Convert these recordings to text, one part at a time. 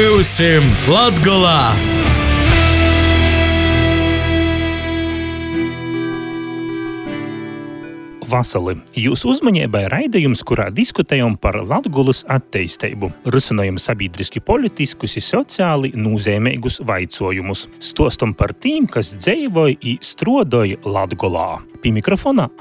Būsim Latgolā! Vasali, jūsu uzmanībai raidījums, kurā diskutējam par Latgulas attīstību, risinājam sabiedriski politiskus un sociāli nozīmīgus vaicojumus, stostam par tiem, kas dzīvoja un struodoja Latgolā. Pie mikrofona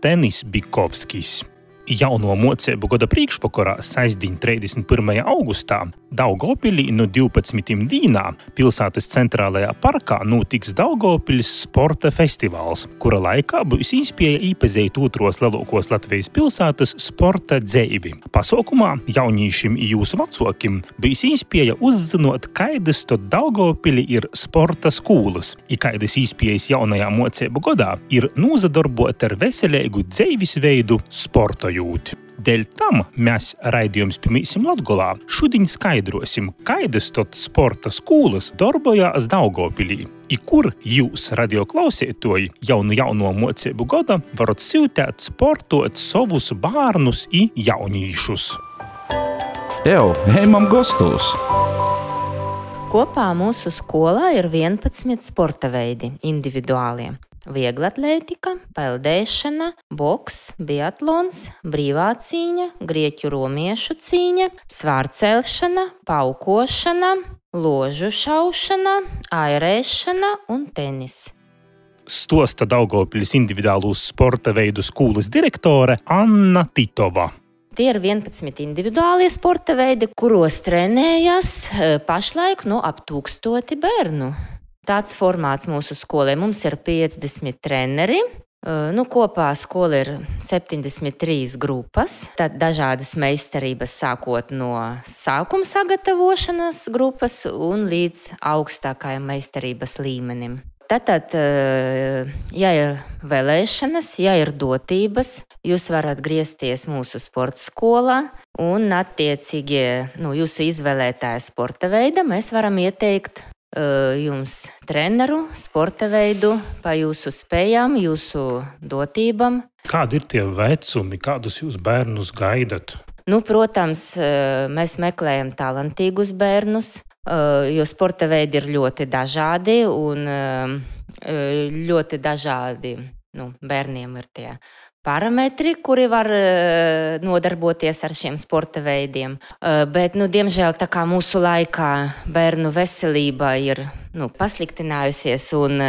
Tenis Bikovskis. Jauno mocību gada priekšvakarā sestdien 31. augustā Daugavpilī no 12 dīnā pilsētas centrālajā parkā notiks Daugavpiļas sporta festivāls, kura laikā būs iespēja īpazīt otros lielākos Latvijas pilsētas sporta dzeivi. Pasaukumā jaunīšiem un jūsu vecākiem būs iespēja uzzinot, kādas tad Daugavpilī ir sporta skolas, un kādas iespējas jaunajā mocību gadā ir nozadarbot ar veselīgu dzīvesveidu sporta. Dēļ tam mēs raidījums Pirmīsim Latgolā šodien skaidrosim, kādas tad sporta skolas darbojās Daugavpilī, i kur jūs, radioklausētoji, jauno mocību gada varat sūtīt sportot savus bērnus i jaunīšus. Ejam gastos! Kopā mūsu skolā ir 11 sporta veidi individuālie. Vieglatlētika, peldēšana, boks, biatlons, brīvā cīņa, grieķu romiešu cīņa, svārcelšana, paukošana, ložu šaušana, airēšana un tenis. Stosta Daugavpiļas individuālūs sporta veidu skolas direktore Anna Titova. Tie ir 11 individuālie sporta veidi, kuros trenējas pašlaik ap 1000 bērnu. Tāds formāts mūsu skolai. Mums ir 50 treneri. Kopā skola ir 73 grupas. Tad dažādas meistarības sākot no sākuma sagatavošanas grupas un līdz augstākajam meistarības līmenim. Tātad, ja ir vēlēšanas, ja ir dotības, jūs varat griezties mūsu sporta skolā un attiecīgi jūsu izvēlētāja sporta veida mēs varam ieteikt jums treneru, sporta veidu, pa jūsu spējām, jūsu dotībām. Kādi ir tie vecumi, kādus jūs bērnus gaidat? Protams, mēs meklējam talantīgus bērnus, jo sporta veidi ir ļoti dažādi un ļoti dažādi bērniem ir tie parametri, kuri var nodarboties ar šiem sporta veidiem. Bet, diemžēl, tā kā mūsu laikā bērnu veselība ir pasliktinājusies un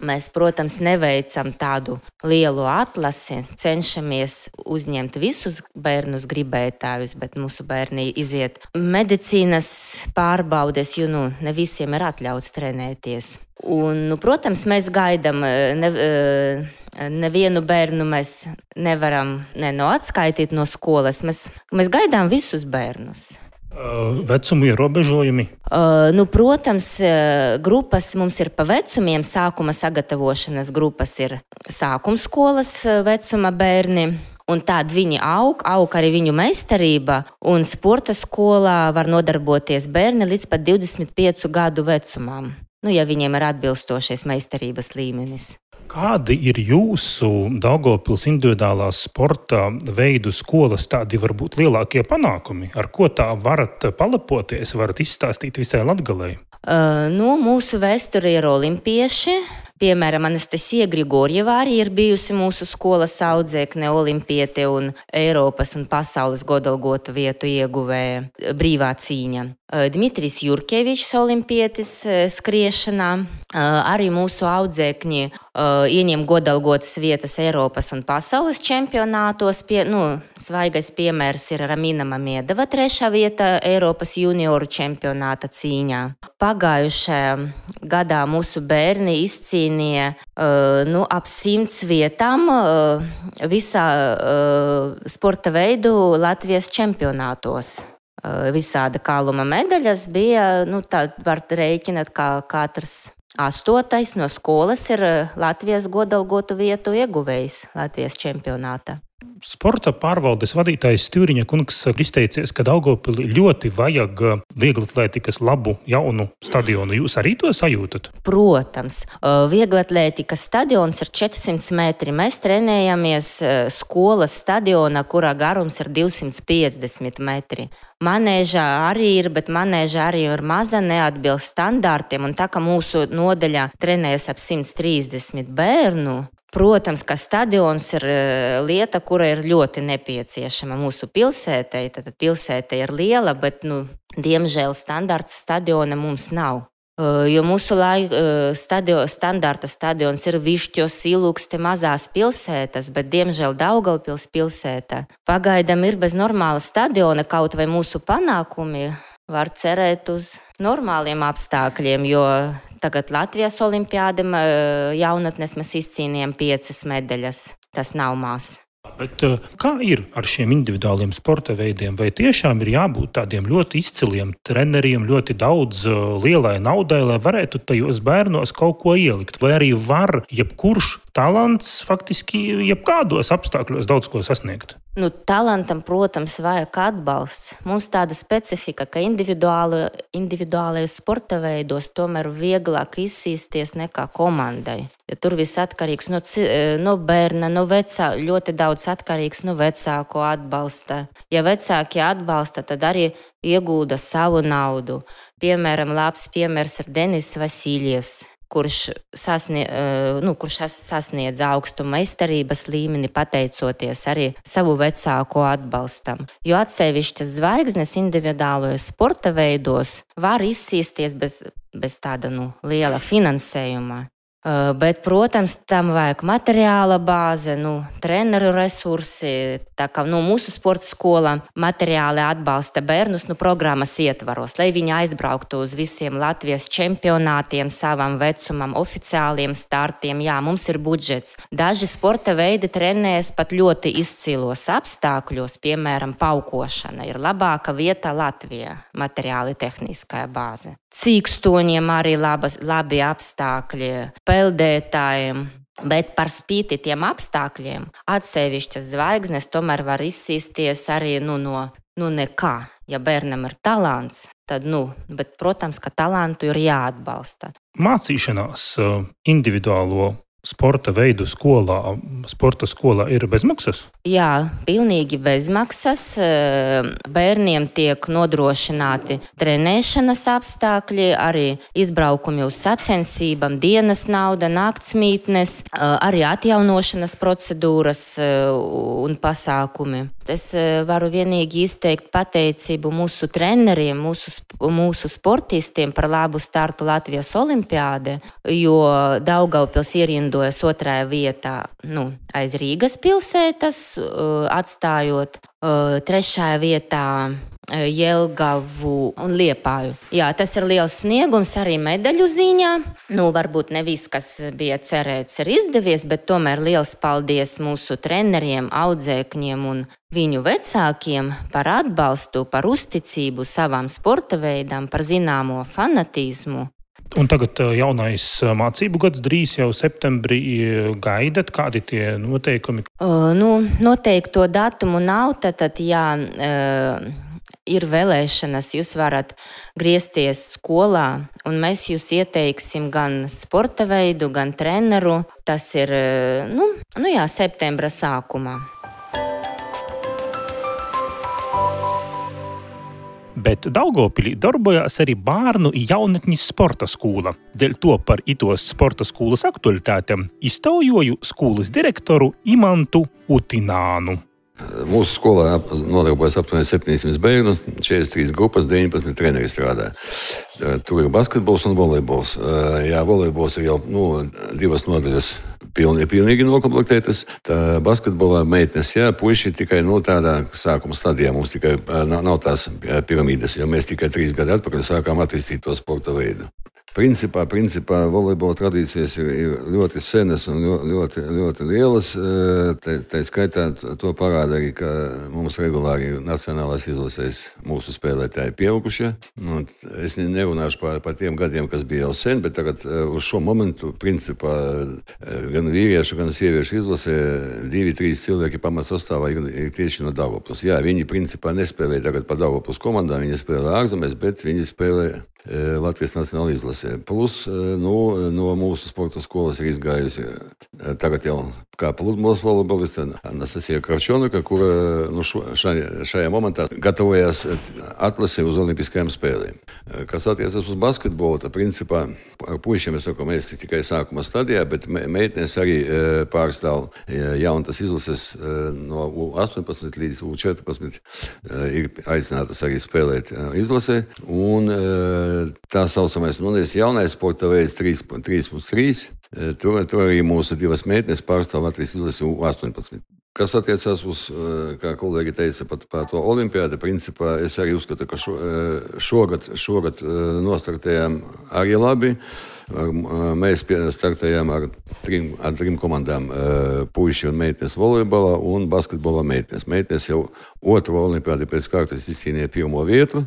mēs, protams, neveicam tādu lielu atlasi, cenšamies uzņemt visus bērnus gribētājus, bet mūsu bērni iziet medicīnas pārbaudes, jo ne visiem ir atļauts trenēties. Un, protams, mēs gaidām nevienu bērnu mēs nevaram atskaitīt no skolas. Mēs gaidām visus bērnus. Vecuma ierobežojumi? Protams, grupas mums ir pa vecumiem. Sākuma sagatavošanas grupas ir sākuma skolas vecuma bērni. Un tādi viņi aug arī viņu meistarība. Un sporta skolā var nodarboties bērni līdz pat 25 gadu vecumam. Ja viņiem ir atbilstošais meistarības līmenis. Kādi ir jūsu Daugavpils individuālās sporta veidu skolas tādi varbūt lielākie panākumi? Ar ko tā varat palepoties, varat izstāstīt visai Latgalei? Mūsu vēsture ir olimpieši. Piemēram, Anastasija Grigorjeva arī ir bijusi mūsu skolas audzēkne, olimpiete un Eiropas un pasaules godalgota vietu ieguvēja brīvā cīņa. Dmitrijs Jurkevičs, olimpietis skriešanā, arī mūsu audzēkņi ieņem godalgotas vietas Eiropas un pasaules čempionātos. Svaigais piemērs ir Ramina Mamedova, 3. vieta Eiropas junioru čempionāta cīņā. Pagājušajā gadā mūsu bērni izcīnīja ap 100 vietām visā sporta veidu Latvijas čempionātos. Visāda kāluma medaļas bija, tā var rēķināt, kā katrs 8. no skolas ir Latvijas godalgotu vietu ieguvējs Latvijas čempionātā. Sporta pārvaldes vadītājs Stūriņa kungs izteicies, ka Daugavpilī ļoti vajag vieglatlētikas labu jaunu stadionu. Jūs arī to sajūtat? Protams, vieglatlētikas stadions ir 400 metri. Mēs trenējamies skolas stadionā, kurā garums ir 250 metri. Manēžā arī ir, bet manēžā arī ir maza, neatbilst standartiem. Un tā kā mūsu nodaļā trenējas ap 130 bērnu, protams, ka stadions ir lieta, kura ir ļoti nepieciešama mūsu pilsētei. Tad pilsēta ir liela, bet, diemžēl, standarta stadiona mums nav. Jo mūsu standarta stadions ir Višķos, Ilūkste, mazās pilsētas, bet, diemžēl, Daugavpils pilsēta pagaidām ir bez normāla stadiona, kaut vai mūsu panākumi var cerēt uz normāliem apstākļiem, jo tagad Latvijas olimpiāde jaunatnes mēs izcīnījām 5 medaļas. Tas nav maz. Bet kā ir ar šiem individuāliem sporta veidiem? Vai tiešām ir jābūt tādiem ļoti izciliem treneriem, ļoti daudz lielai naudai, lai varētu tajos bērnos kaut ko ielikt? Vai arī var jebkurš talants faktiski jebkādos apstākļos daudz ko sasniegt? Talantam, protams, vajag atbalsts. Mums tāda specifika, ka individuālajos sporta veidos tomēr vieglāk izsīsties nekā komandai. Ja tur viss atkarīgs no bērna, no vecāka, ļoti daudz atkarīgs no vecāku atbalsta. Ja vecāki atbalsta, tad arī iegūda savu naudu. Piemēram, labs piemērs ir Denis Vasiljevs, kurš sasniedz augstu meistarības līmeni, pateicoties arī savu vecāku atbalstam. Jo atsevišķas zvaigznes individuālajos sporta veidos var izsīsties bez tāda liela finansējuma. Bet, protams, tam vajag materiāla bāze, treneru resursi. Tā kā mūsu sporta skolā materiāli atbalsta bērnus programmas ietvaros, lai viņi aizbrauktu uz visiem Latvijas čempionātiem, savam vecumam, oficiāliem startiem. Jā, mums ir budžets. Daži sporta veidi trenējas pat ļoti izcilos apstākļos, piemēram, paukošana ir labāka vieta Latvijā, materiāli tehniskā bāze. Cīkstoņiem arī labi apstākļi, peldētājiem, bet par spīti tiem apstākļiem atsevišķas zvaigznes tomēr var izsīsties arī no nekā. Ja bērnam ir talants, tad, bet, protams, ka talantu ir jāatbalsta. Mācīšanās individuālo sporta veidu sporta skolā ir bezmaksas? Jā, pilnīgi bezmaksas. Bērniem tiek nodrošināti trenēšanas apstākļi, arī izbraukumi uz sacensībām, dienas nauda, naktsmītnes, arī atjaunošanas procedūras un pasākumi. Es varu vienīgi izteikt pateicību mūsu treneriem, mūsu sportistiem par labu startu Latvijas olimpiāde, jo Daugavpils ierindojas 2. vietā aiz Rīgas pilsētas, atstājot 3. vietā Jelgavu un Liepāju. Jā, tas ir liels sniegums arī medaļu ziņā. Varbūt ne viss, kas bija cerēts, ir izdevies, bet tomēr liels paldies mūsu treneriem, audzēkņiem un viņu vecākiem par atbalstu, par uzticību savām sporta veidām, par zināmo fanatismu. Un tagad jaunais mācību gads drīz jau septembrī gaidat. Kādi tie noteikumi? Noteikto datumu nav, tad ir vēlēšanas, jūs varat griezties skolā, un mēs jūs ieteiksim gan sporta veidu, gan treneru. Tas ir, septembra sākumā. Bet Daugavpilī darbojās arī bērnu jaunatnes sporta skola. Dēļ to par itos sporta skolas aktualitātēm iztaujoju skolas direktoru Imantu Utinānu. Mūsu skolā nodarbojas aptuveni 700 bērnu, 43 grupas, 19 treneri strādā. Tur ir basketbols un volejbols. Jā, volejbols ir jau 2 nodaļas pilnīgi nokomplektētas. Basketbolā meitenes, puiši tikai tādā sākuma stadijā. Mums tikai nav tās piramīdas, jo mēs tikai 3 gadi atpakaļ sākām attīstīt to sporta veidu. Principā volejbola tradīcijas ir ļoti senas un ļoti lielas. Tā skaitā to parāda arī, ka mums regulāri nacionālās izlasēs mūsu spēlētāji pieaugušie. Es nerunāšu par tiem gadiem, kas bija jau sen, bet tagad uz šo momentu principā gan vīriešu, gan sieviešu izlasē 2-3 cilvēki pamatsastāvā ir tieši no Daugavpils. Jā, viņi principā nespēlē tagad par Daugavpils komandām, viņi spēlē ārzemēs, bet viņi spēlē Latvijas nacionāla izlasē. Plus, no mūsu sporta skolas ir izgājusi tagad jau kā pludmales volejboliste Anastasija Kravčonuka, kura šajā momentā gatavojas atlasē uz olimpiskajām spēlēm. Kas attiecas uz basketbolu, tad principā ar puišiem mēs tikai sākuma stadijā, bet meitenes arī pārstāv jaunas izlases no U18 līdz U14 ir aicinātas arī spēlēt izlasē. Un tā saucamais jaunais sporta veids 3+3. Tur arī mūsu divas meitenes pārstāv Latvijas izlasi U18. Kas attiecās uz, kā kolēģi teica, par to olimpiādu, principā es arī uzskatu, ka šogad nostartējām arī labi. Mēs startējām ar trim komandām puiši un meitenes volejbolā un basketbolā meitenes. Meitenes jau otro olimpiādi pēc kārtas izcīnīja pirmo vietu.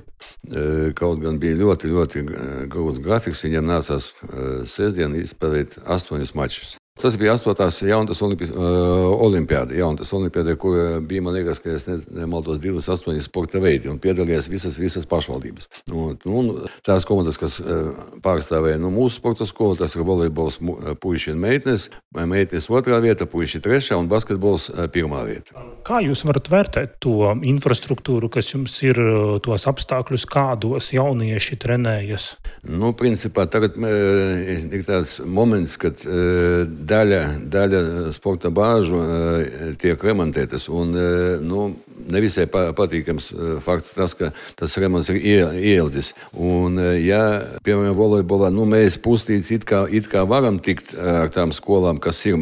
Kaut gan bija ļoti grūts grafiks, viņiem nācās sestdien izspēlēt 8 mačus. Tas bija 8. jaunas olimpiāda, kur bija, man liekas, ka es nemaldos 28 sporta veidi un piedalījās visas pašvaldības. Tās komandas, kas pārstāvēja mūsu sporta skolu, tas ir volejbols puiši un meitenes. Meitenes 2. vieta, puiši 3. un basketbols 1. vieta. Kā jūs varat vērtēt to infrastruktūru, kas jums ir, tos apstākļus, kādos jaunieši trenējas? Principā tagad ir tāds moments, kad daļa sporta bāžu tiek remontētas. Un, nevisai patīkams fakts tas, ka tas remonts ir ieildzis. Un, ja, piemēram, volejbolā, mēs puslīdz it kā varam tikt ar tām skolām, kas ir,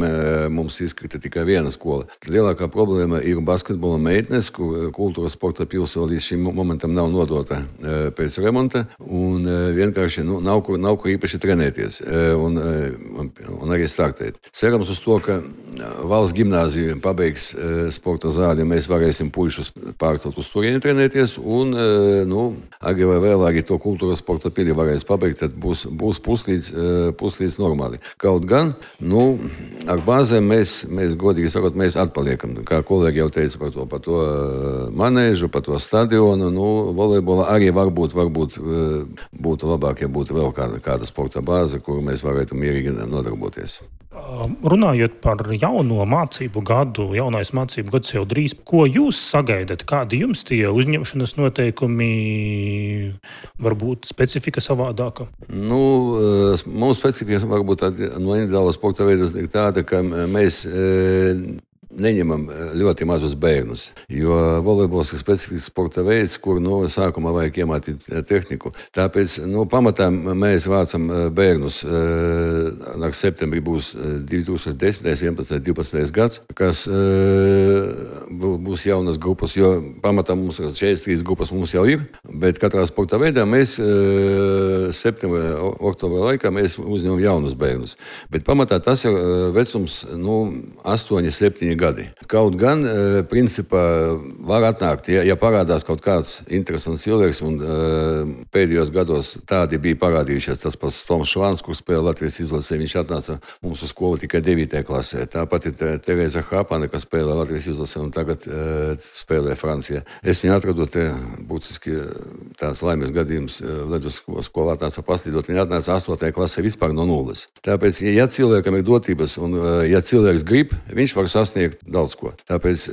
mums izkrita tikai viena skola. Lielākā problēma ir basketbola meitenes, kur kultūras sporta pilsēta līdz šim momentam nav nodota pēc remonta. Un vienkārši nav kur īpaši trenēties un arī startēt. Cerams uz to, ka valsts gimnāzija pabeigs sporta zāli, mēs varēsim puišus pārcelt uz turieni trenēties, un arī vai vēlāk to kultūras sporta pili varēs pabeigt, tad būs puslīdz normāli. Kaut gan, ar bāzēm mēs godīgi sakot, mēs atpaliekam. Kā kolēģi jau teica par to manēžu, par to stadionu, volejbola arī varbūt būtu labāk, ja būtu vēl kāda sporta bāze, kuru mēs varētu mierīgi nodarboties. Runājot par jauno mācību gadu, jaunais mācību gads jau drīz, ko jūs sagaidat? Kādi jums tie uzņemšanas noteikumi, varbūt specifika savādāka? Mums specifika varbūt no individuāla sporta veidus ir tāda, ka mēs neņemam ļoti mazus bērnus, jo volejbols ir specifisks sporta veids, kur sākumā vajag iemācīt tehniku. Tāpēc pamatā mēs vācam bērnus. Ar septembrī būs 2010, 11, 12 gads, kas būs jaunas grupas, jo pamatā mums 43 grupas mums jau ir, bet katrā sporta veidā mēs septembra, oktobra laikā mēs uzņemam jaunus bērnus. Bet pamatā tas ir vecums 8-7 gadi. Kaut gan, principā, var atnākt, ja parādās kaut kāds interesants cilvēks, un pēdējos gados tādi bija parādījušies. Tas pats Toms Švāns, kur spēlē Latvijas izlasē, viņš atnāca mūsu skolu tikai 9. klasē. Tāpat ir Tereza Hapane, kas spēlē Latvijas izlasē un tagad spēlē Francijā. Es viņu atradu būtiski tāds laimes gadījums ledus skolā atnāca paslīdot. Viņa atnāca 8. klasē vispār no nulles. Tāpēc, ja cilvēkam ir dotības un ja cilvēks grib, viņš var sasniegt daudz ko. Tāpēc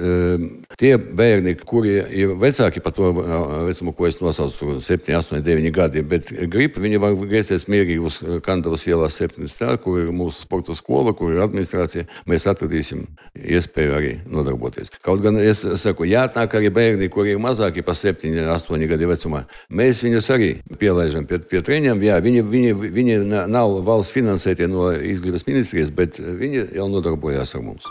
tie bērni, kuri ir vecāki par to vecumu, ko es nosaucu, 7, 8, 9 gadi, bet grib, viņi var griezties mierīgi uz Kandavas ielās 17, kur ir mūsu sporta skola, kur ir administrācija. Mēs atradīsim iespēju arī nodarboties. Kaut gan es saku, jāatnāk arī bērni, kuri ir mazāki par 7, 8 gadi vecumā. Mēs viņus arī pielaižam pie treniņiem. Jā, viņi nav valsts finansētie no izglītības ministrijas, bet viņi jau nodarbojās ar mums.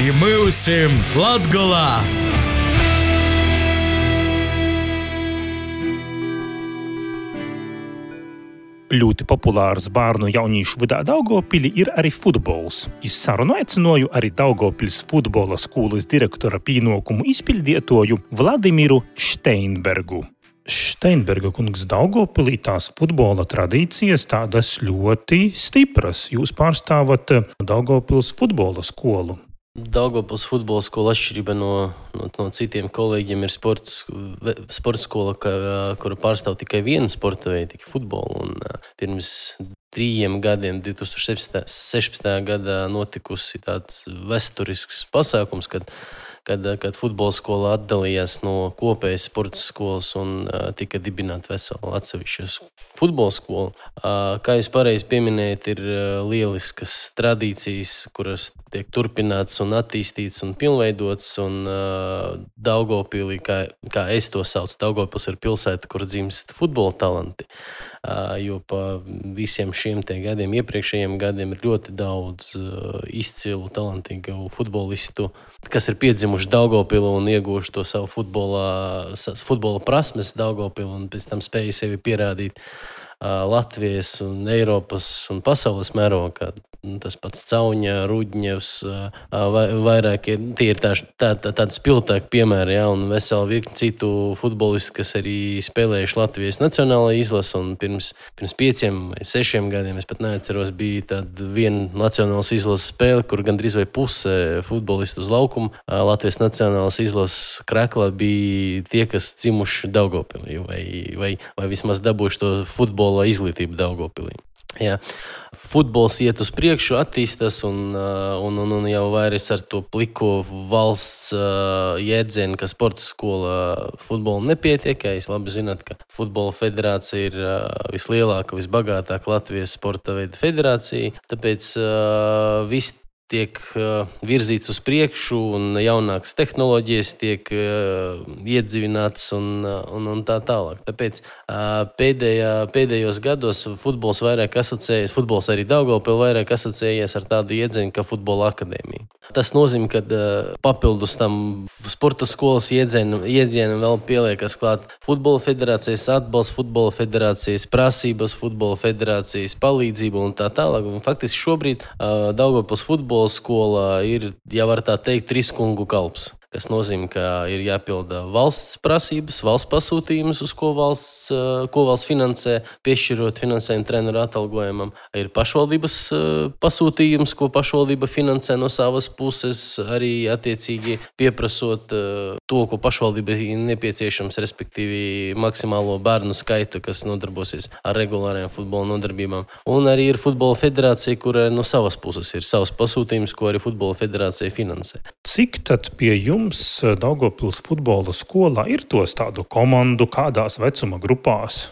И myusim Latgolā! Ļoti populārs bērnu jaunīšu vidā Daugavpilī ir arī futbols. Es sarunu aicināju arī Daugavpils futbola skolas direktora pienākumu izpildītoju Vladimiru Steinbergu. Steinberga kungs, Daugavpilī tās futbola tradīcijas tādas ļoti stipras. Jūs pārstāvat Daugavpils futbola skolu. Daugavpils futbola skola atšķirība no citiem kolēģiem ir sporta skola, kura pārstāv tikai vienu sporta veidu, tikai futbolu. Un pirms 3 gadiem, 2016. gadā, notikusi tāds vēsturisks pasākums, kad futbola skola atdalījās no kopējas sporta skolas un tika dibināta vesela atsevišķa futbola skola. Kā jūs pareizi pieminējat, ir lieliskas tradīcijas, kuras tiek turpināts un attīstīts un pilnveidots. Un Daugavpilī, kā es to saucu, Daugavpils ir pilsēta, kur dzimst futbola talanti. Jo pa visiem šiem gadiem, iepriekšējiem gadiem, ir ļoti daudz izcilu, talantīgu futbolistu, kas ir piedzimuši Daugavpilī un ieguvuši to savu futbola prasmes Daugavpilī un pēc tam spēja sevi pierādīt Latvijas un Eiropas un pasaules mērogā. Tas pats Cauņa, Rudņevs, vairākie, tie ir tādi spilgtāki piemēri, ja, un vesela virkni citu futbolistu, kas arī spēlējuši Latvijas nacionālajā izlase, un pirms 5 vai 6 gadiem, es pat neatceros, bija tāda viena nacionālas izlases spēle, kur gandrīz vai puse futbolistu uz laukumu Latvijas nacionālas izlases kreklā bija tie, kas dzimuši Daugavpilī, vai vismaz dabūjuši to futbola izglītību Daugavpilī. Jā. Futbols iet uz priekšu, attīstās un jau vairs ar to pliko valsts jēdzienu, ka sporta skola futbola nepietiek. Jūs labi zināt, ka futbola federācija ir vislielākā, visbagātākā Latvijas sporta veida federācija. Tāpēc viss tiek virzīts uz priekšu un jaunākas tehnoloģijas tiek iedzīvinātas un tā tālāk. Tāpēc pēdējos gados futbols vairāk asociējies, futbols arī Daugavpilī vairāk asociējies ar tādu iedzienu kā futbola akadēmija. Tas nozīmē, ka papildus tam sporta skolas iedzienam vēl pieliekas klāt futbola federācijas atbalsts, futbola federācijas prasības, futbola federācijas palīdzība un tā tālāk. Un faktiski šobrīd Daugavpils futbola skola ir, ja var tā teikt, 3 kungu kalps. kas nozīmē, ka ir jāpilda valsts prasības, valsts pasūtījumus, uz ko valsts finansē, piešķirot finansējumu treneru atalgojumam. Ir pašvaldības pasūtījums, ko pašvaldība finansē no savas puses, arī attiecīgi pieprasot to, ko pašvaldība ir nepieciešams, respektīvi maksimālo bērnu skaitu, kas nodarbosies ar regulārajām futbola nodarbībām. Un arī ir futbola federācija, kura no savas puses ir savs pasūtījums, ko arī futbola federācija finansē. Cik tad pie jums Daugavpils futbola skolā ir tos tādu komandu, kādās vecuma grupās?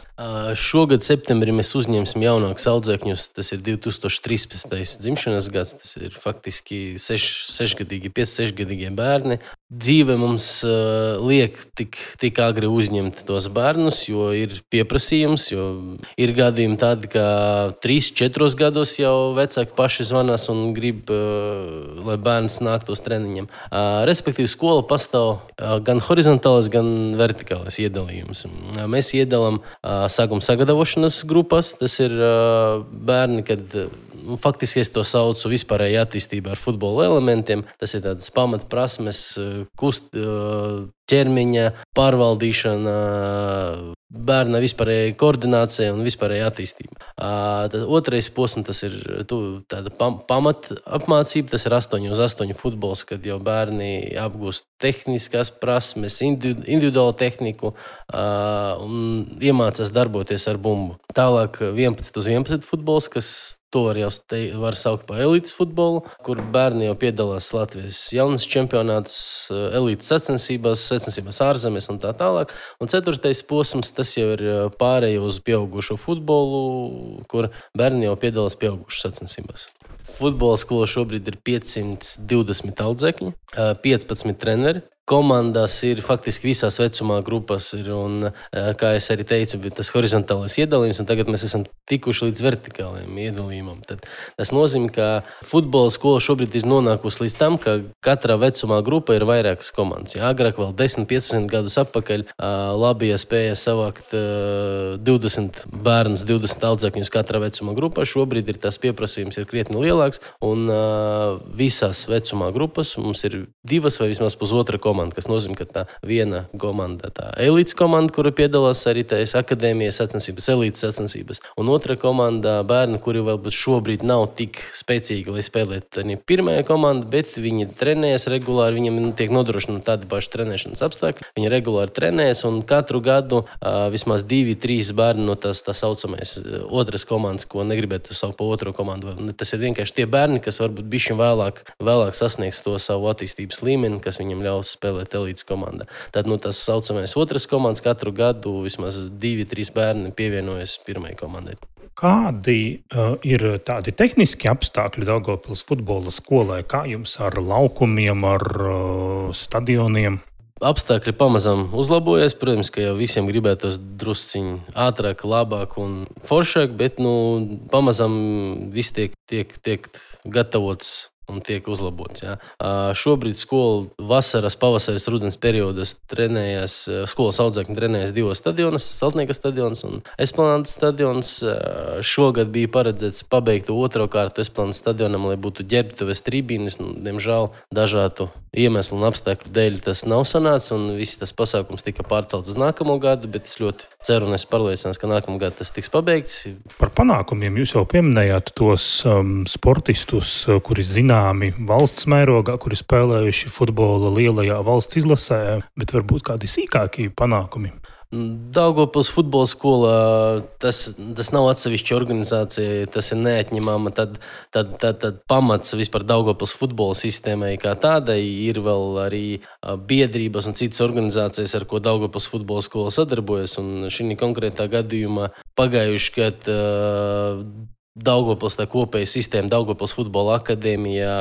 Šogad septembrī mēs uzņemsim jaunākus audzēkņus. Tas ir 2013. dzimšanas gads. Tas ir faktiski 5-6-gadīgie bērni. Dzīve mums liek tik agri uzņemt tos bērnus, jo ir pieprasījums, jo ir gadījumi tādi, ka 3-4 gados jau vecāki paši zvanās un grib, lai bērns nāktu uz treniņiem. Respektīvi, skola pastāv gan horizontālais, gan vertikālais iedalījums. Mēs iedalām sākuma sagatavošanas grupas. Tas ir bērni, kad faktiski es to saucu vispārēji attīstībā ar futbola elementiem. Tas ir tādas pamatprasmes, ķermeņa pārvaldīšana, bērna vispārēja koordinācija un vispārēja attīstība. Tad otrais posms, tas ir tāda pamatapmācība, tas ir 8-uz-8 futbols, kad jau bērni apgūst tehniskās prasmes, individuālu tehniku un iemācās darboties ar bumbu. Tālāk 11-uz-11 futbols, kas to var saukt par elites futbolu, kur bērni jau piedalās Latvijas jaunas čempionātus, elites sacensībās ārzemēs un tā tālāk. Un 4. posms, tas jau ir pārējo uz pieaugušo futbolu, kur bērni jau piedalās pieaugušu sacensībās. Futbola skola šobrīd ir 520 audzēkņi, 15 treneri. komandas ir faktiski visās vecumā grupas. Un, kā es arī teicu, tas horizontālais iedalījums, un tagad mēs esam tikuši līdz vertikālajam iedalījumam. Tad tas nozīmē, ka futbola skola šobrīd ir nonākusi līdz tam, ka katrā vecumā grupa ir vairākas komandas. Ja, agrāk vēl 10-15 gadus atpakaļ Latvija spēja savākt 20 bērnus, 20 audzēkņus katrā vecumā grupā. Šobrīd ir tas pieprasījums ir krietni lielāks, un visās vecumā grupas mums ir 2 vai vismaz pusotra komanda, kas nozīmē, ka tā viena komanda, tā elites komanda, kura piedalās arī tās akadēmijas sacensības, elites sacensības, un otra komanda bērni, kuri vēl šobrīd nav tik spēcīgi, lai spēlētu pirmajā komanda, bet viņi trenējas regulāri, viņiem tiek nodrošināti tādi paši trenēšanas apstākļi, viņi regulāri trenējas, un katru gadu vismaz 2-3 bērni no tā saucamais otras komandas, ko negribētu saukt pa otro komandu. Tas ir vienkārši tie bērni, kas varbūt bišķi vēlāk sasniegs to savu attīstības līmeni, kas viņam ļaus spēlēt elites komandā. Tad tas saucamais otras komandas katru gadu vismaz 2-3 bērni pievienojas pirmajai komandai. Kādi ir tādi tehniski apstākļi Daugavpils futbola skolai? Kā jums ar laukumiem, ar stadioniem? Apstākļi pamazām uzlabojas. Protams, ka jau visiem gribētos drusciņi ātrāk, labāk un foršāk, bet pamazām viss tiek gatavots un tiek uzlabots. Ja. Šobrīd skola vasaras, pavasaras, rudens periodos trenējas, skolas audzēkņi trenējas 2 stadionos, Saltnieka stadions un Esplanādes stadions. Šogad bija paredzēts pabeigt 2. kārtu Esplanādes stadionam, lai būtu ģērbtuves tribīnes. Diemžēl dažādu iemeslu un apstākļu dēļ tas nav sanācis, un viss tas pasākums tika pārcelts uz nākamo gadu, bet es ļoti ceru un esmu pārliecināts, ka nākamā gada tas tiks pabeigts. Par panākumiem jūs jau pieminējāt tos sportistus, kuri zināmi valsts mērogā, kuri spēlējuši futbola lielajā valsts izlasē, bet varbūt kādi sīkākie panākumi. Daugavpils futbola skola, tas nav atsevišķa organizācija, tas ir neatņemama. Tad pamats vispār Daugavpils futbola sistēmai kā tādai ir vēl arī biedrības un citas organizācijas, ar ko Daugavpils futbola skola sadarbojas. Un šī konkrētā gadījumā pagājuši gadu Daugavpils tā kopēja sistēma, Daugavpils futbola akadēmijā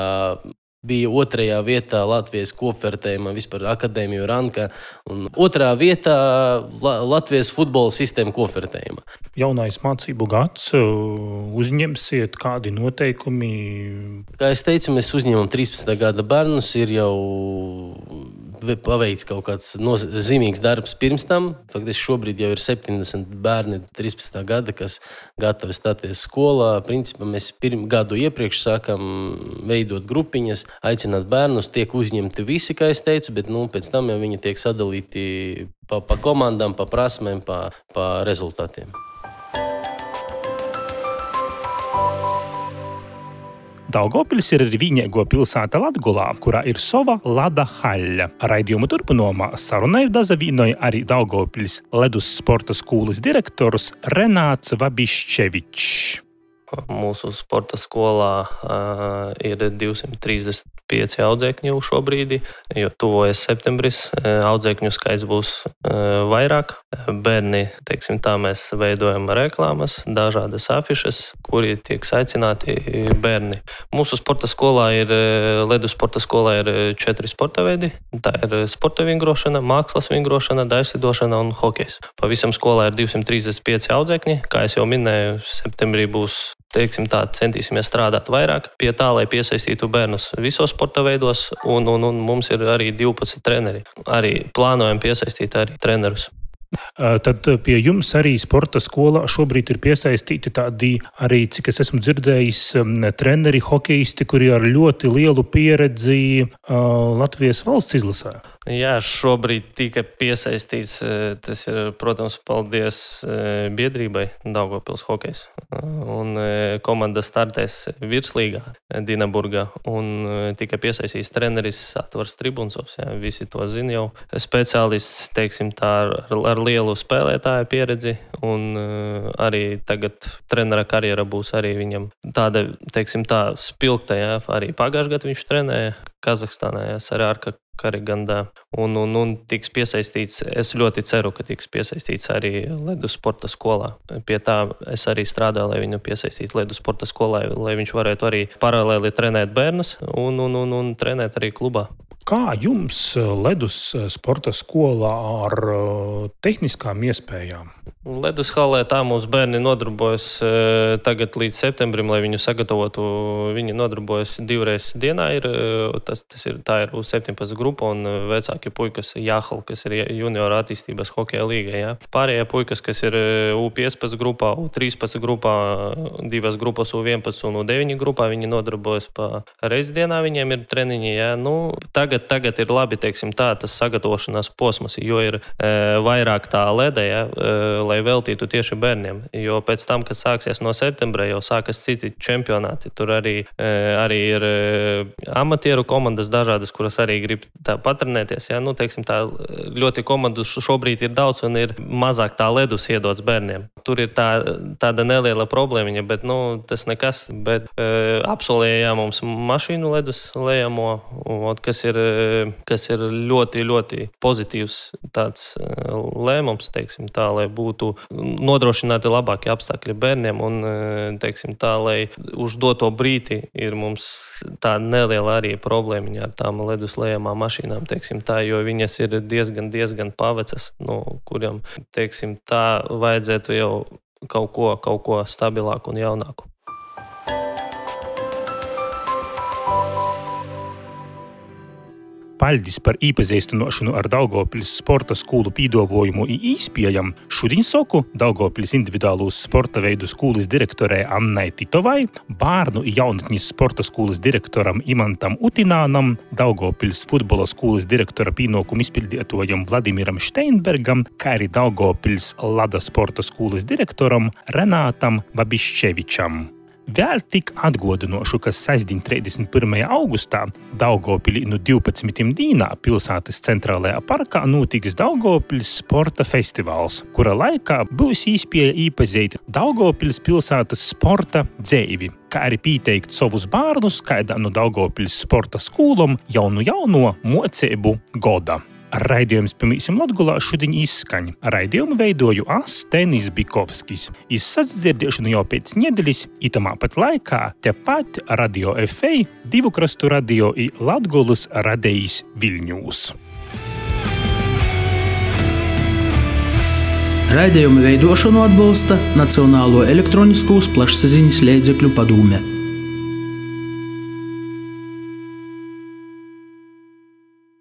bija 2. vietā Latvijas kopvērtējumā, vispār akadēmiju rankā, un 2. vietā Latvijas futbola sistēma kopvērtējumā. Jaunais mācību gads, uzņemsiet kādi noteikumi? Kā es teicu, mēs uzņemam 13. gada bērnus, ir jau paveikts kaut kāds zīmīgs darbs pirms tam. Faktiski šobrīd jau ir 70 bērni 13. gada, kas gatavi stāties skolā. Principā mēs gadu iepriekš sākam veidot grupiņas, aicināt bērnus, tiek uzņemti visi, kā es teicu, bet pēc tam jau viņi tiek sadalīti pa komandām, pa prasmēm, pa rezultātiem. Daugavpils ir arī vienīgo pilsēta Latgolā, kurā ir sava lada haļa. Raidījumu turpinājumā sarunai dazavīnoja arī Daugavpils ledus sporta skolas direktors Renāts Vabišķevičs. Mūsu sporta skolā ir 235 audzēkņi šobrīd, jo tuvojas septembris, audzēkņu skaits būs vairāk. Bērni, teiksim tā, mēs veidojam reklāmas, dažādas afišas, kuri tiek aicināti bērni. Mūsu sporta skolā ledus sporta skolā ir 4 sporta veidi. Tā ir sporta vingrošana, mākslas vingrošana, daļslidošana un hokejs. Pavisam skolā ir 235 audzēkņi. Kā es jau minēju, septembrī būs, teiksim tā, centīsimies strādāt vairāk pie tā, lai piesaistītu bērnus visos sporta veidos, un mums ir arī 12 treneri. Arī plānojam piesaistīt arī trenerus. Tad pie jums arī sporta skolā šobrīd ir piesaistīti tādi arī, cik es esmu dzirdējis, treneri, hokejisti, kuri ar ļoti lielu pieredzi Latvijas valsts izlasē. Jā, šobrīd tika piesaistīts, tas ir, protams, paldies biedrībai Daugavpils hokejs. Un komanda startēs virslīgā Dinaburgā un tika piesaistīts treneris Atvars Tribunsovs. Jā, visi to zina jau. Speciālists, teiksim tā, ar lielu spēlētāju pieredzi, un arī tagad trenera karjera būs arī viņam tāda, teiksim tā, spilgta. Jā. Arī pagājušajā gadā viņš trenēja Kazahstānā, Sarārka Karigandā, un tiks piesaistīts, es ļoti ceru, ka tiks piesaistīts arī ledus sporta skolā. Pie tā es arī strādāju, lai viņu piesaistītu ledus sporta skolā, lai viņš varētu arī paralēli trenēt bērnus un trenēt arī klubā. Kā jums ledus sporta skolā ar tehniskām iespējām? Ledus halē tā mums bērni nodarbojas tagad līdz septembrim, lai viņu sagatavotu. Viņi nodarbojas 2 reizes dienā. Tā ir U17 grupa un vecākie puikas Jāhal, kas ir juniora attīstības hokeja līga. Ja? Pārējie puikas, kas ir U15 grupā, U13 grupā, 2 grupas U11 un U9 grupā, viņi nodarbojas pa reizi dienā, viņiem ir treniņi. Ja? Tagad ir labi, teiksim tā, tas sagatavošanās posms, jo ir vairāk tā leda, ja? Lai veltītu tieši bērniem. Jo pēc tam, kad sāksies no septembra, jau sākas citi čempionāti. Tur arī ir amatieru komandas dažādas, kuras arī grib tā patrenēties. Ja? Teiksim tā, ļoti komandu šobrīd ir daudz un ir mazāk tā ledus iedots bērniem. Tur ir tāda neliela problēmiņa, bet tas nekas. Bet absolvēja mums mašīnu ledus lejamo, kas ir ļoti, ļoti pozitīvs tāds lēmums, teiksim tā, lai būtu nodrošināti labākie apstākļi bērniem un, teiksim tā, lai uz doto brīdi ir mums tā neliela arī problēmiņa ar tām ledus lejamām mašīnām, teiksim tā, jo viņas ir diezgan pavecas, kuriem, teiksim tā, vajadzētu jau kaut ko stabilāku un jaunāku. Paļdis par īpazīstinošanu ar Daugavpils sporta skolu pīdavojumu i īspējam šodien soku Daugavpils individuālūs sporta veidu skolas direktorē Annai Titovai, bārnu i jaunatnis sporta skolas direktoram Imantam Utinānam, Daugavpils futbola skolas direktora pīnokumu izpildietojam Vladimiram Steinbergam, kā arī Daugavpils Lada sporta skolas direktoram Renātam Vabiščevičam. Vēl tik atgodinošu, ka sestdien 31. augustā Daugavpilī no 12. dīnā pilsētas centrālajā parkā notiks Daugavpils sporta festivāls, kura laikā būs iespēja īpazīt Daugavpils pilsētas sporta dzeivi, kā arī pieteikt savus bērnus kādā no Daugavpils sporta skolom jauno mocību goda. Raidījums Pamīsim Latgolā šodien izskaņ. Raidījumu veidoju Tenis Bikovskis. Izsadzirdēšanu jau pēc nedēļas, itamā pat laikā, tepat Radio FA, Divu krastu radio i Latgolas radējis Viļņūs. Raidījumu veidošanu atbalsta Nacionālo elektroniskos plašsaziņas līdzekļu padome.